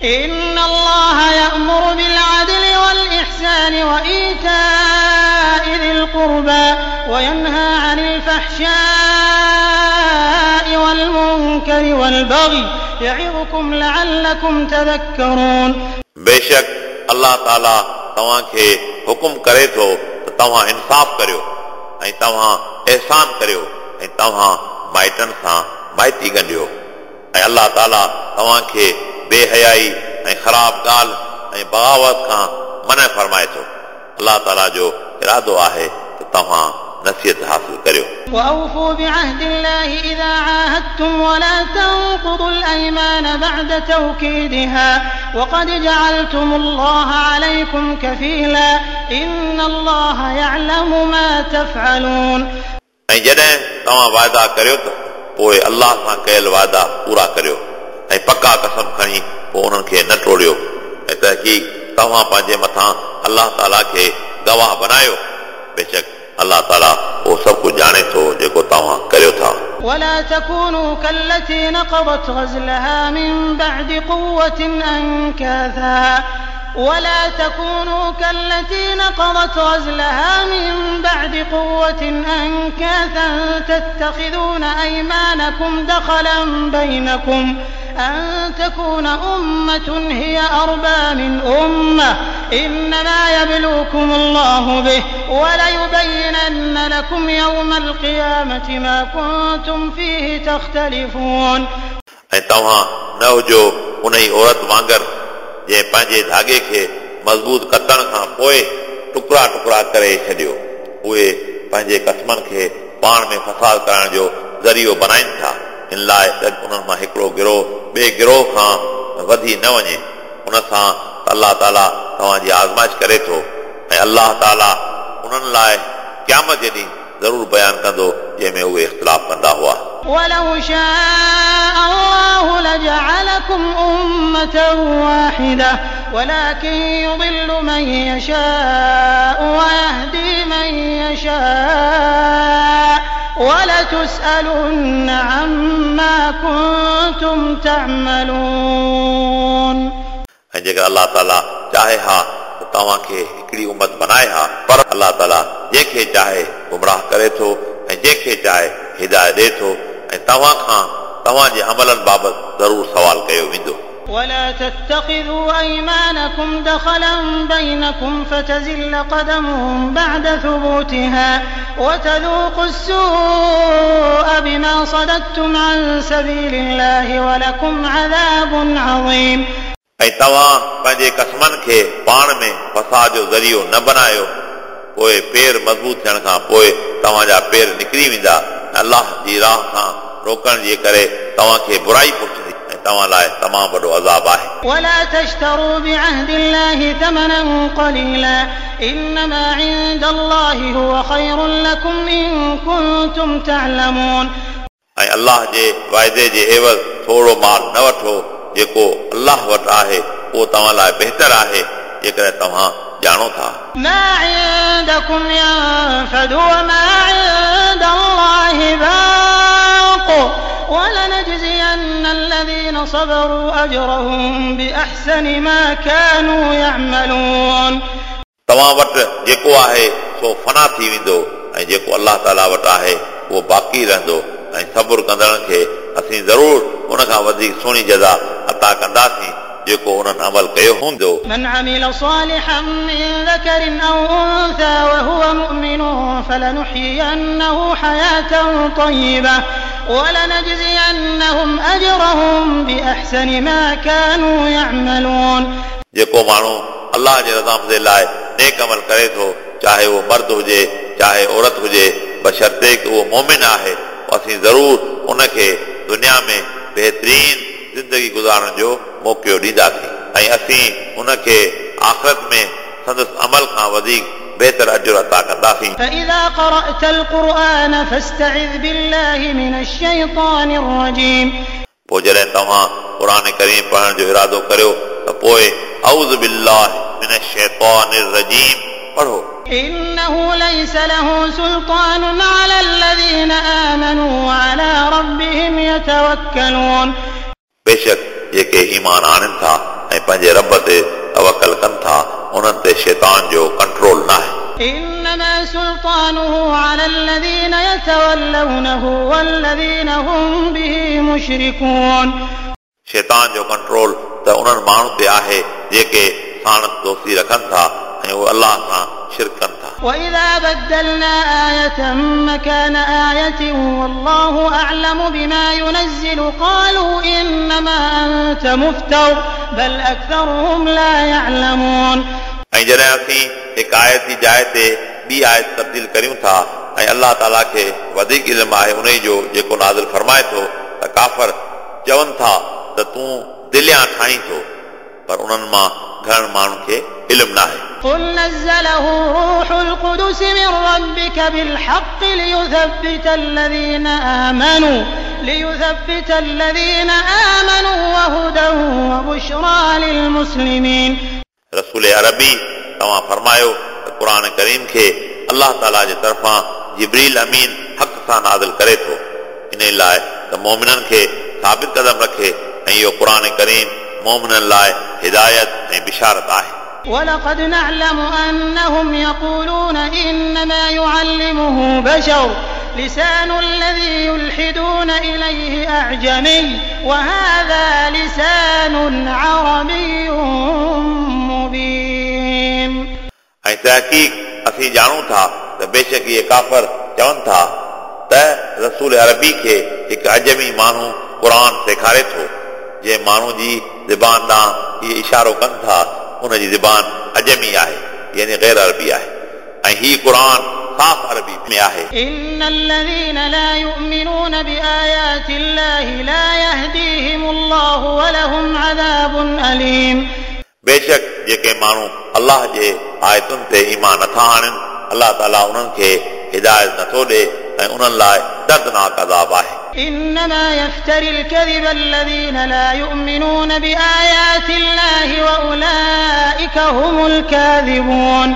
إن الله يأمر بالعدل والإحسان وإيتاء ذي القربى وينهى عن الفحشاء والمنكر والبغي يعظكم لعلكم تذكرون. बेशक अल्लाह ताला तव्हांखे हुकुम करे थो त तव्हां इंसाफ़ करियो ऐं तव्हां अहसान करियो ऐं तव्हां माइटनि सां माइती ॻंढियो ऐं अल्लाह ताला तव्हांखे बेहयाई ऐं ख़राब ॻाल्हि ऐं बग़ावत खां मना फरमाए थो। अल्लाह ताला जो इरादो आहे त तव्हां नसीहत हासिल करियो। وأوفوا بعهد الله إذا عاهدتم ولا تنقضوا الأيمان بعد توكيدها وقد جعلتم الله عليكم كفيلا إن الله يعلم ما تفعلون. ऐं जॾहिं तव्हां वाइदा करियो त पोइ अल्लाह सां कयल वाइदा पूरा करियो ऐं पका कसम खणी पोइ उन्हनि खे न टोड़ियो ऐं तहक़ीक़ तव्हां पंहिंजे मथां अल्लाह ताला खे गवाह बनायो। बेशक अल्लाह ताला उहो सभु कुझु ॼाणे थो जेको तव्हां करियो था। ولا تكونوا كالتي نقضت غزلها من بعد قوة أنكاثا ولا تكونوا كالتي نقضت غزلها من بعد قوة أنكاثا تتخذون أيمانكم دخلا بينكم أن تكون أمة هي أربى من أمة إنما يبلوكم الله به وليبينن لكم يوم القيامة ما كنتم فيه تختلفون. ऐं तव्हां न हुजो उन ई औरत वांगुरु जंहिं पंहिंजे धागे खे मज़बूत कतण खां पोइ टुकड़ा टुकड़ा करे छॾियो। उहे पंहिंजे क़स्मनि खे पाण में फसाद करण जो ज़रियो बणाइनि था, इन लाइ त उन्हनि मां हिकिड़ो गिरोह ॿिए गिरोह खां वधी न वञे। उन सां अल्लाह ताला तव्हांजी आज़माइश करे थो ऐं अल्लाह ताला उन्हनि लाइ क़यामत जे ॾींहुं ज़रूरु बयानु कंदो जंहिंमें उहे इख़्तिलाफ़ कंदा हुआ। ولو شاء الله لجعلكم أمة واحدة ولكن يضل من يشاء ويهدي من يشاء ولتسألن عما كنتم تعملون. ऐं जेकर अल्लाह ताला चाहे हा त तव्हांखे हिकिड़ी उमत बनाए हा, पर अल्लाह ताला जंहिंखे चाहे गुमराह करे थो ऐं जंहिंखे चाहे हिदायत ॾिए थो ऐं तव्हां खां तव्हांजे अमलनि बाबति ज़रूरु सवाल कयो वेंदो। ولا تتخذوا أيمانكم دخلا بينكم فتزل قدم بعد ثبوتها وتذوقوا السوء بما صددتم عن سبيل الله ولكم عذاب عظيم. ऐं तव्हां पंहिंजे क़स्मनि खे पाण में फसाद जो ज़रियो न बनायो, पोइ पेर मज़बूत थियण खां पोइ तव्हांजा पेर निकिरी वेंदा। अल्लाह जी राह खां रोकण जे करे तव्हांखे बुराई पहुचंदी ऐं तव्हां लाइ तमामु वॾो अज़ाब आहे। ولا تشتروا بعهد الله ثمنا قليلا إنما عند الله هو خير لكم إن كنتم تعلمون. ऐं अल्लाह जे वाइदे जे एवज़ थोरो माल न वठो, जेको अल्लाह वटि आहे उहो तव्हां लाइ बहितर आहे जेकॾहिं तव्हां ॼाणो था। ما عندكم ينفد وما عند الله باق ولنجزين الذين صبروا أجرهم بأحسن ما كانوا يعملون. तव्हां वटि जेको आहे सो फना थी वेंदो ऐं जेको अल्लाह ताला वटि आहे उहो बाक़ी रहंदो ऐं सब्र कंदड़नि खे असीं ज़रूरु उन खां वधीक सुहिणी जज़ा अता कंदासीं जेको उन्हनि अमल कयो हूंदो। من عمل صالحا من ذكر أو أنثى وهو مؤمن فلنحيينه حياة طيبة ولنجزينهم أجرهم بأحسن ما كانوا يعملون. जेको माण्हू अल्लाह जे रज़ामंदी लाइ नेक अमल करे थो, चाहे उहो मर्द हुजे चाहे औरत हुजे, बशर्ते कि उहो मोमिन आहे, असीं ज़रूरु उनखे दुनिया में बहितरीन ज़िंदगी गुज़ारण जो मौक़ो ॾींदासीं ऐं असीं उनखे आख़िरत में संदसि अमल खां वधीक बहितर अजुर अता कंदासीं। فإذا قرأت القرآن فاستعذ بالله من الشيطان الرجيم. पोइ जॾहिं तव्हां क़ुर करीम पढ़ण जो इरादो करियो त पोइ अऊज़ बिल्लाह मिन शैतानिर रजीम पढ़ो। إنه ليس له سلطان على الذين آمنوا وعلى ربهم يتوكلون. बेशक जेके ईमान आणनि था ऐं يتولونه والذين هم به مشركون. शैतान जो कंट्रोल त उन्हनि माण्हुनि ते आहे जेके साणसि दोस्ती रखनि था ऐं उहे अल्लाह सां शिरक कनि था। وإذا بدلنا آية مكان آية والله أعلم بما ينزل قالوا إنما أنت مفتر بل أكثرهم لا يعلمون. ऐं जॾहिं असीं हिकु आयत जी जाइ ते ॿी आयत तब्दील करियूं था ऐं अलाह ताला खे वधीक इल्मु आहे उन जो जेको नाज़िल फरमाए थो त काफ़र चवनि था त तूं दिलियां ठाहीं थो, पर उन्हनि मां घणनि माण्हुनि खे इल्मु न आहे। قل نزله روح القدس من ربك بالحق ليثبت الذين آمنوا وهدى وبشرى للمسلمين. रसूल अरबी तव्हां फरमायो त क़ुर करीम खे अलाह ताला जे तरफ़ां जिब्रील अमीन हक़ सां नाज़िल करे थो, इन लाइ त मोमिननि खे साबित कदम रखे ऐं इहो क़ुर करीम मोमिननि लाइ हिदायत ऐं बिशारत आहे। ولقد نعلم أنهم يقولون إنما يعلمه بشر لسان الذي يلحدون إليه أعجمي وهذا لسان عربي مبين. ऐं तहक़ीक़ असीं ॼाणूं था त बेशक इहे काफ़र चवनि था त रसूल अरबी खे हिकु अजमी माण्हू क़ुर सेखारे थो, जंहिं माण्हू जी ज़बान ॾांहुं इहे इशारो कनि था उन जी ज़बान अजमी आहे, यानी ग़ैर अरबी आहे, ऐं हीउ क़ुर साफ़ अरबी में आहे। إن الذين لا يؤمنون بآيات الله لا يهديهم الله ولهم عذاب أليم. बेशक जेके माण्हू अलाह जे आयतुनि ते ईमान नथा आणनि, अलाह ताला उन्हनि खे हिदायत नथो ॾे ऐं उन्हनि लाइ दर्दनाक अज़ाब आहे। إنما يفتري الكذب الذين لا يؤمنون بآيات الله وأولئك هم الكاذبون.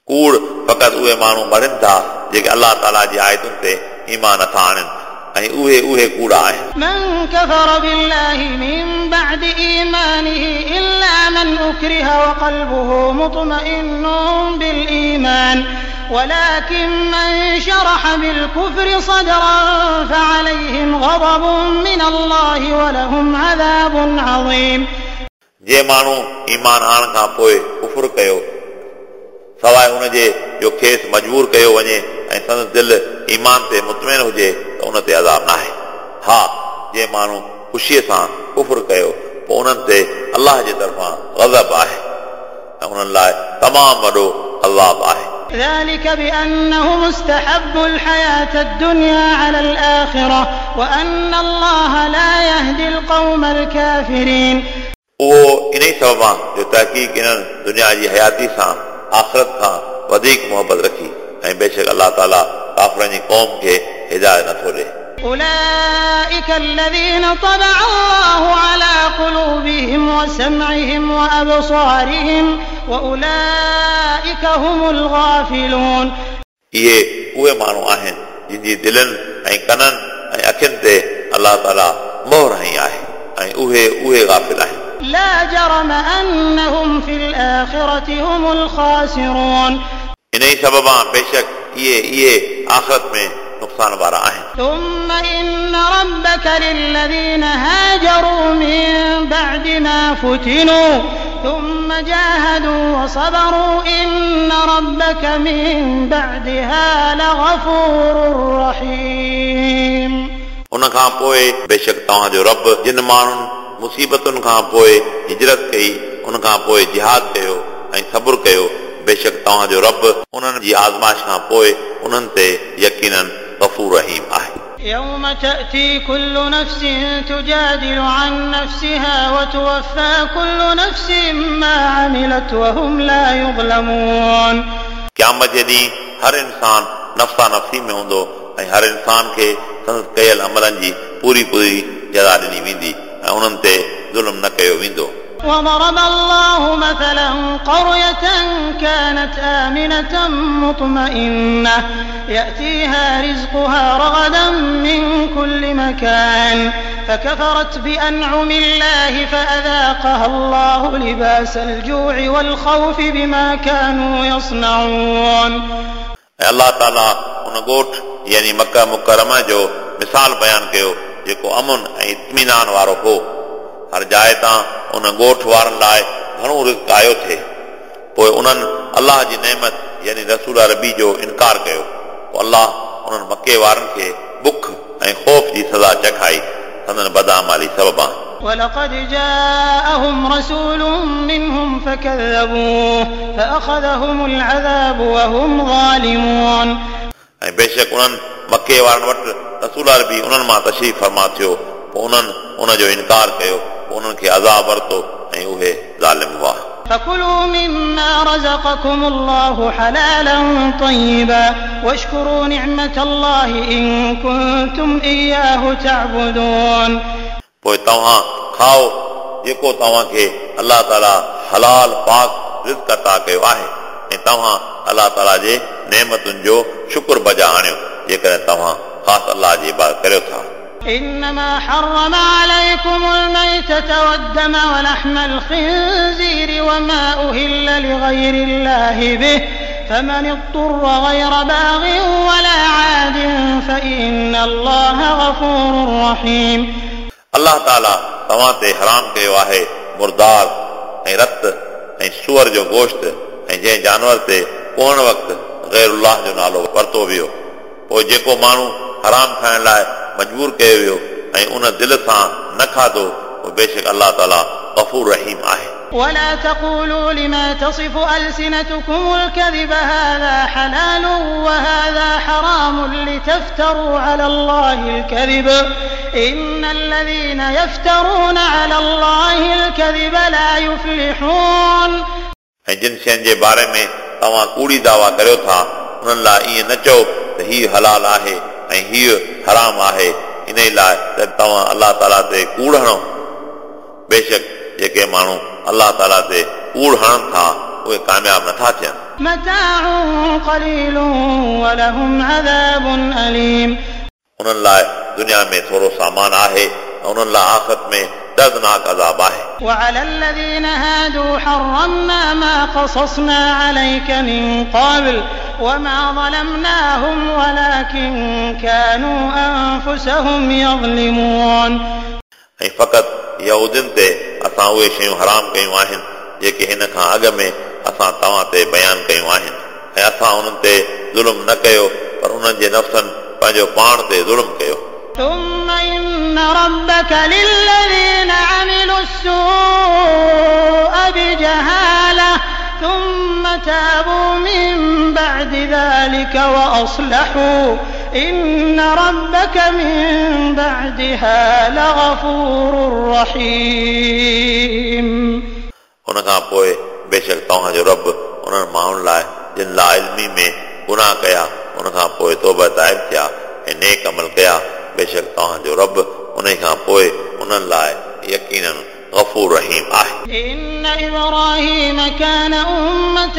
कूड़ फ़क़ति उहे माण्हू मरनि था जेके अलाह ताला जी आयतुनि ते ईमान नथा आणनि ऐं उहे उहे कूड़ा आहिनि। من كفر بالله من بعد إيمانه إلا من أكره وقلبه مطمئن بالإيمان ولكن من شرح بالكفر صدرا فعليهم غضب من الله ولهم عذاب عظيم. जे माण्हू ईमान आणण खां पोइ कुफुर कयो सवाइ उनजे जो खेसि मजबूर कयो वञे ऐं संदसि दिलि ईमान ते मुतमिन हुजे त उन ते अज़ाब न आहे। हा, जे माण्हू ख़ुशीअ सां कुफुर कयो पोइ उन्हनि ते अलाह जे तरफ़ां ग़ज़ब आहे ऐं उन्हनि लाइ तमामु वॾो अज़ाब आहे। ذلك بأنهم استحبوا الحياة الدنيا على الآخرة وأن الله لا يهدي القوم الكافرين. उहो इन ई सबब आहे जो तहक़ीक़ इन्हनि दुनिया जी हयाती सां आख़िरत खां वधीक मोहबत रखी ऐं बेशक अलाह ताला काफ़रनि जी क़ौम खे हिदायत नथो ॾे। أولئك الذين طبع الله على قلوبهم وسمعهم وأبصارهم وأولئك هم الغافلون. इहे उहे माण्हू आहिनि जिन जी दिलनि ऐं कननि ऐं अखियुनि ते अलाह ताला मोहर हई आहे ऐं उहे उहे गाफ़िल आहिनि। لا جرم أنهم في الآخرة هم الخاسرون. इन ई सबब बेशक इहे इहे आख़िरत में नुक़सान वारा आहिनि। ثم إن ربك للذين هاجروا من بعد ما فتنوا ثم جاهدوا وصبروا إن ربك من بعدها لغفور رحيم. उन खां पोइ बेशक तव्हांजो रब जिन माण्हुनि मुसीबतुनि खां पोइ हिजरत कई, उन खां पोइ जिहाद कयो ऐं सब्र कयो, बेशक तव्हांजो रब उन्हनि जी आज़माइश खां पोइ उन्हनि ते यकीनन गफ़ूर रहीम आहे। يوم تأتي كل نفس تجادل عن نفسها وتوفى كل نفس ما عملت وهم لا يظلمون. क़यामत जे ॾींहुं हर इंसान नफ़्सा नफ़्सी में हूंदो ऐं हर इंसान खे संदसि कयल अमलनि जी पूरी पूरी जज़ा ॾिनी वेंदी ऐं उन्हनि ते ज़ुल्म न कयो वेंदो। وضرب الله مثلا قرية كانت آمنة مطمئنة يأتيها رزقها رغدا من كل مكان فكفرت بأنعم الله فأذاقها الله لباس الجوع والخوف بما كانوا يصنعون. ऐं अलाह ताला उन ॻोठ यानी मक्का मुकरमा जो मिसाल बयानु कयो जेको अमन ऐं इत्मीनान वारो हो। हर जाइ तां उन ॻोठ वारनि लाइ घणो रिज़्क आयो थे। पोइ उन्हनि अलाह जी नेमत यानी रसूल अरबी जो इनकार कयो। पोइ अलाह उन्हनि मक्के वारनि खे बुख ऐं ख़ौफ़ जी सज़ा चखाई संदन बदामाली सबबा। ولقد جاءهم رسول منهم فكذبوه فأخذهم العذاب وهم ظالمون। ऐं बेशक उन्हनि मक्के वारनि वटि रसूल अरबी उन्हनि मां तशरीफ़ फरमा थियो, पोइ उन्हनि उन जो इनकार कयो, पोइ उन्हनि खे अज़ाब वरितो ऐं उहे ज़ालिम हुआ। فكلوا مما رزقكم الله حلالا طيبا واشكروا نعمة الله إن كنتم إياه تعبدون। पोइ तव्हां खाओ जेको तव्हांखे अलाह ताला हलाल पाक रिज़्क अता कयो आहे ऐं तव्हां अलाह ताला जे नेमतुनि जो शुक्र बजा आणियो जेकॾहिं तव्हां ख़ासि अलाह जी इबादत करियो था। إنما حرم عليكم الميتة والدم ولحم الخنزير وما أهل لغير الله به فمن اضطر غير باغ ولا عاد فإن الله غفور رحيم। अलाह ताला तव्हां ते हराम कयो आहे मुर्दार ऐं रत ऐं सूअर जो गोश्त ऐं जंहिं जानवर ते कोहण वक़्तु ग़ैरुल्लाह जो नालो वरितो वियो। पोइ जेको माण्हू हराम खाइण लाइ मजबूर कयो वियो ऐं उन दिलि सां न खाधो, पोइ बेशक अलाह ताला गफ़ूर रहीम आहे। ولا تقولوا لما تصف ألسنتكم الكذب هذا حلال وهذا حرام لتفتروا على الله الكذب إن الذين يفترون على الله الكذب لا يفلحون। ऐं जिन शयुनि जे बारे में तव्हां कूड़ी दावा करियो था उन्हनि लाइ ईअं न चओ त हीउ हलाल आहे ऐं हीउ हराम आहे, इन लाइ त तव्हां अलाह ताला ते कूड़ हणो। बेशक जेके माण्हू अलाह ताला ते कूड़ हणनि था उहे कामयाब नथा थियनि। متاع قليل ولهم عذاب أليم। उन्हनि लाइ दुनिया में थोरो सामान आहे ऐं उन्हनि लाइ आख़िरत में दर्दनाक अज़ाब आहे। وعلى الذين هادوا حرمنا ما قصصنا عليك من قبل وما ظلمناهم ولكن كانوا أنفسهم يظلمون। ऐं फ़क़ति यहूदियुनि ते असां उहे शयूं हराम कयूं आहिनि जेके हिन खां अॻु में असां तव्हां ते बयानु कयूं आहिनि, ऐं असां उन्हनि ते ज़ुल्म न कयो पर उन्हनि जे नफ़्सनि पंहिंजो पाण ते ज़ुल्म कयो। ثم إن ربك للذين عملوا السوء بجهالة ثم تابوا من بعد ذلك وأصلحوا إن ربك من بعدها لغفور رحيم। उन खां पोइ बेशक तव्हांजो रब उन्हनि माण्हुनि लाइ जिन लाइल्मी में गुनाह कया उन खां पोइ तौबा ताइब थिया ऐं नेक अमल कया, बेशक तव्हांजो रब उन खां पोइ उन्हनि लाइ यकीनन गफ़ूर रहीम आहे। إن إبراهيم كان أمة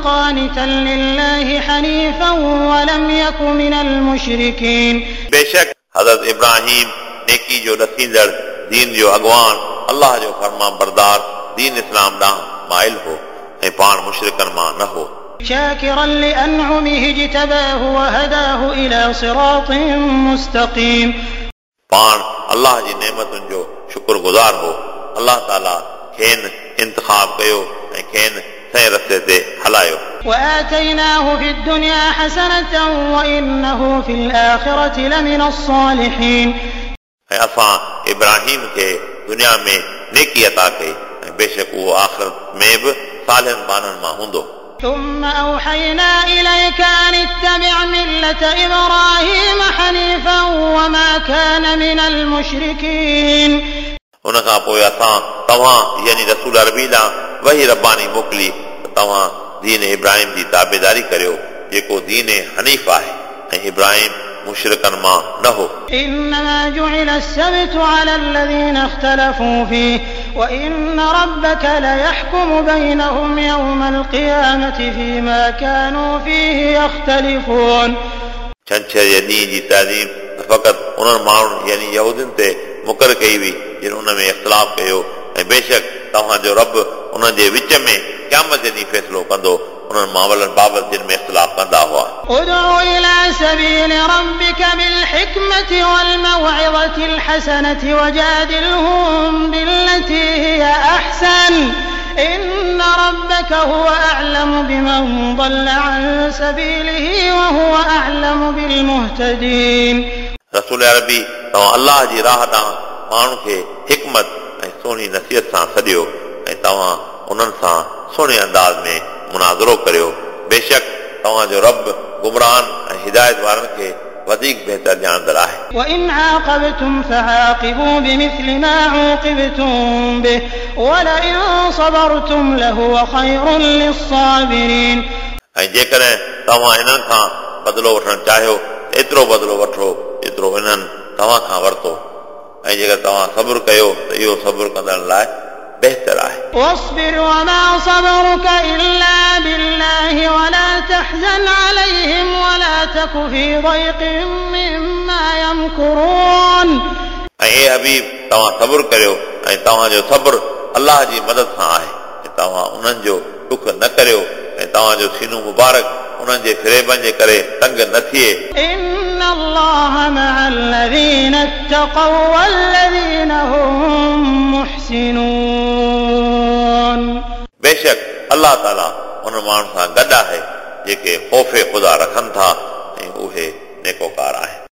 قانتا لله حنيفا ولم يك من المشركين। बेशक हज़रत इब्राहिम नेकी जो ॾसींदड़ दीन जो अॻवान अलाह जो फरमा बरदार दीन इस्लाम ॾांहुं माइल हो ऐं पाण मुशरिकनि मां न हो। شاكرا لأنعمه اجتباه وهداه إلى صراط مستقيم। पाण अलाह जी नेमतुनि जो शुक्रगुज़ार हो। अलाह ताला खेनि इंतिखाब कयो ऐं खेनि सही रस्ते ते हलायो। وآتيناه في الدنيا حسنة وإنه في الآخرة لمن الصالحين। ऐं असां इब्राहिम खे दुनिया में नेकी अता कई ऐं बेशक उहो आख़िरत में बि सालिहनि ॿारनि मां हूंदो। ثم أوحينا إليك أن اتبع ملة إبراهيم حنيفا وما كان من المشركين। उन खां पोइ असां तव्हां यानी रसूल अरबी ॾांहुं वही रबानी मोकिली त तव्हां दीन इब्राहिम जी ताबेदारी करियो जेको दीन हनीफ़ आहे ऐं इब्राहिम मुशरिकनि मां न हो। إنما جعل السبت على الذين اختلفوا فيه وإن ربك ليحكم بينهم يوم القيامة فيما كانوا فيه يختلفون। छंछर जे ॾींहं जी ताज़ीम फ़क़ति उन्हनि माण्हुनि यानी यहूदियुनि ते मुक़ररु कई हुई जिन उन में इख़्तिलाफ़ कयो ऐं बेशक तव्हांजो रब उन्हनि जे विच में क़यामत जे ॾींहुं फ़ैसिलो कंदो उन्हनि मामलनि बाबति जिन में इख़्तिलाफ़ कंदा हुआ। ادع إلى سبيل ربك بالحكمة والموعظة الحسنة وجادلهم بالتي هي أحسن إن ربك هو أعلم بمن ضل عن سبيله وهو أعلم بالمهتدين। रसूल अरबी तव्हां अल्लाह जी राह ॾांहुं माण्हुनि खे हिकमत ऐं सुहिणी नसीहत सां सॾियो ऐं तव्हां उन्हनि सां सुहिणे अंदाज़ में मुनाज़रो करियो। बेशक तव्हांजो रब गुमरान ऐं हिदायत वारनि खे वधीक बहितर ॼाणंदड़ आहे। وإن عاقبتم فعاقبوا بمثل ما عوقبتم به ولئن صبرتم لهو خير للصابرين। ऐं जेकॾहिं तव्हां इन्हनि खां बदिलो वठणु चाहियो त एतिरो बदिलो वठो जेतिरो इन्हनि तव्हां खां वरितो, ऐं जेकर तव्हां सब्र कयो त इहो सब्र कंदड़नि लाइ बहितर आहे। واصبر وما صبرك إلا بالله ولا تحزن عليهم ولا تك في ضيق مما يمكرون। ऐं ए हबीब तव्हां सब्र करियो ऐं तव्हांजो सब्र अल्लाह जी मदद सां आहे, ऐं तव्हां उन्हनि जो ॾुख न करियो ऐं तव्हांजो सीनो मुबारक उन्हनि जे फ़रेबनि जे करे तंग न थिए। إن الله مع الذين اتقوا والذين هم محسنون। बेशक अल्लाह ताला उन माण्हुनि सां गॾु आहे जेके ख़ौफ़ ख़ुदा रखनि था ऐं उहे नेकोकार आहिनि।